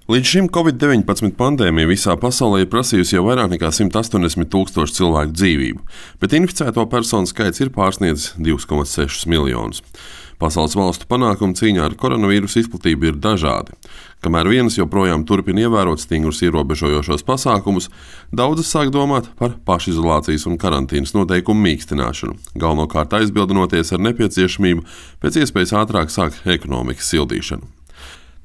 Līdz šim Covid-19 pandēmija visā pasaulē ir prasījusi jau vairāk nekā 180,000 cilvēku dzīvību, bet inficēto personu skaits ir pārsniedzis 2,6 miljonus. Pasaules valstu panākumi cīņā ar koronavīrusu izplatību ir dažādi. Kamēr vienas joprojām turpina ievērot stingrus ierobežojošos pasākumus, daudzas sāk domāt par pašizolācijas un karantīnas noteikumu mīkstināšanu, galvenokārt aizbildinoties ar nepieciešamību pēc iespējas ātrāk sākt ekonomikas sildīšanu.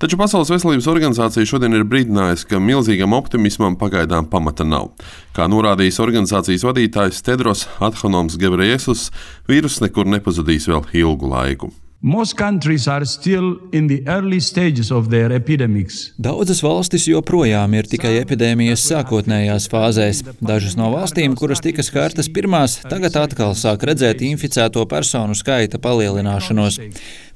Taču Pasaules veselības organizācija šodien ir brīdinājusi, ka milzīgam optimismam pagaidām pamata nav. Kā norādījis organizācijas vadītājs Tedros Adhanoms Ghebreyesus, vīruss nekur nepazudīs vēl ilgu laiku. Most countries are still in the early stages of their epidemics. Daudzas valstis joprojām ir tikai epidēmijas sākotnējās fāzēs. Dažas no valstīm, kuras tika skartas pirmās, tagad atkal sāk redzēt inficēto personu skaita palielināšanos.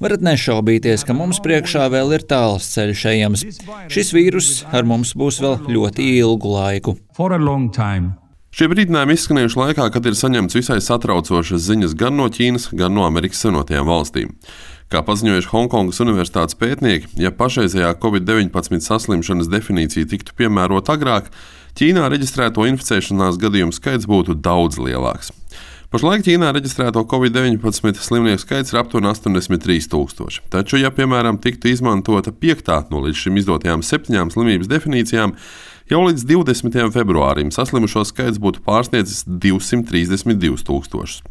Varat nešaubīties, ka mums priekšā vēl ir tāls ceļš ejams. Šis vīruss ar mums būs vēl ļoti ilgu laiku. For a long time. Šie brīdinājumi izskanējuši laikā, kad ir saņemts visai satraucošas ziņas gan no Ķīnas, gan no Amerikas Savienotajām valstīm. Kā paziņojuši Honkongas universitātes pētnieki, ja pašreizējā Covid-19 saslimšanas definīcija tiktu piemērota agrāk, Ķīnā reģistrēto inficēšanās gadījumu skaits būtu daudz lielāks. Pašlaik Ķīnā reģistrēto Covid-19 slimnieku skaits ir aptuveni 83,000. Taču, ja piemēram tiktu izmantota 5. no līdz šim izdotajām 7 slimības definīcijām, jau līdz 20. februārim saslimušo skaits būtu pārsniedzis 232,000.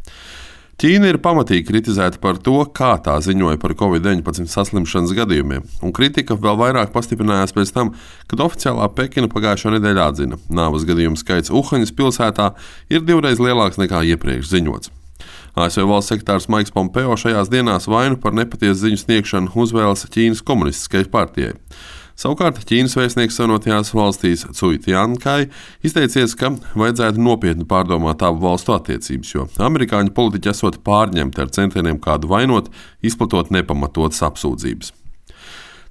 Ķīna ir pamatīgi kritizēta par to, kā tā ziņoja par Covid-19 saslimšanas gadījumiem, un kritika vēl vairāk pastiprinājās pēc tam, kad oficiālā Pekina pagājušo nedēļu atzina, nāves gadījumu skaits Uhaņas pilsētā ir 2 reizes lielāks nekā iepriekš ziņots. ASV valsts sekretārs Maiks Pompeo šajās dienās vainu par nepatiesu ziņu sniegšanu uzvēlas Ķīnas komunistiskajai partijai. Savukārt Ķīnas vēstnieks Savienotajās valstīs Cui Tiankai izteicies, ka vajadzētu nopietni pārdomāt abu valstu attiecības, jo amerikāņu politiķi esot pārņemti ar centieniem kādu vainot, izplatot nepamatotas apsūdzības.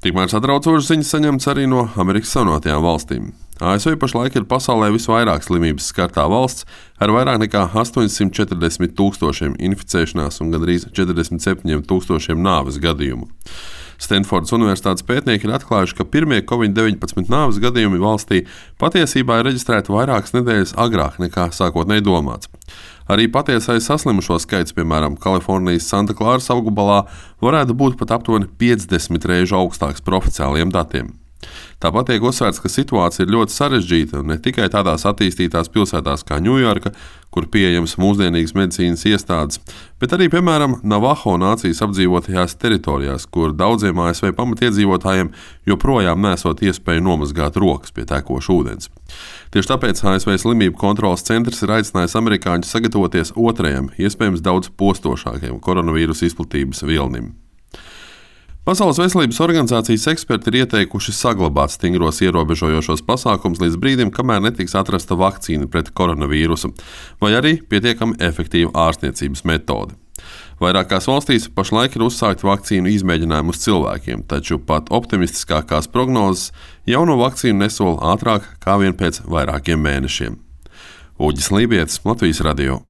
Tikmēr satraucošas ziņas saņemts arī no Amerikas Savienotajām valstīm. ASV pašlaik ir pasaulē visvairāk slimības skartā valsts ar vairāk nekā 840,000 inficēšanās un gandrīz 47,000 nāves gadījumu. Stanfordas universitātes pētnieki ir atklājuši, ka pirmie Covid-19 nāves gadījumi valstī patiesībā ir reģistrēti vairākas nedēļas agrāk nekā sākotnēji domāts. Arī patiesais saslimušo skaits, piemēram, Kalifornijas Santa Klāras apgabalā, varētu būt pat aptuveni 50 reižu augstāks par oficiāliem datiem. Tāpat tiek uzsvērts, ka situācija ir ļoti sarežģīta un ne tikai tādās attīstītās pilsētās kā Ņujorka, kur pieejamas mūsdienīgas medicīnas iestādes, bet arī, piemēram, Navaho nācijas apdzīvotajās teritorijās, kur daudziem ASV pamatiedzīvotājiem joprojām nesot iespēju nomazgāt rokas pie tekoša ūdens. Tieši tāpēc ASV slimību kontroles centrs ir aicinājis amerikāņus sagatavoties otrajam, iespējams daudz postošākajam koronavīrusa izplatības vilnim. Pasaules veselības organizācijas eksperti ir ieteikuši saglabāt stingros ierobežojošos pasākumus līdz brīdim, kamēr netiks atrasta vakcīna pret koronavīrusu, vai arī pietiekami efektīva ārstniecības metode. Vairākās valstīs pašlaik ir uzsākti vakcīnu izmēģinājumi uz cilvēkiem, taču pat optimistiskākās prognozes jauno vakcīnu nesola ātrāk kā vien pēc vairākiem mēnešiem. Uģis Lībietis, Latvijas radio.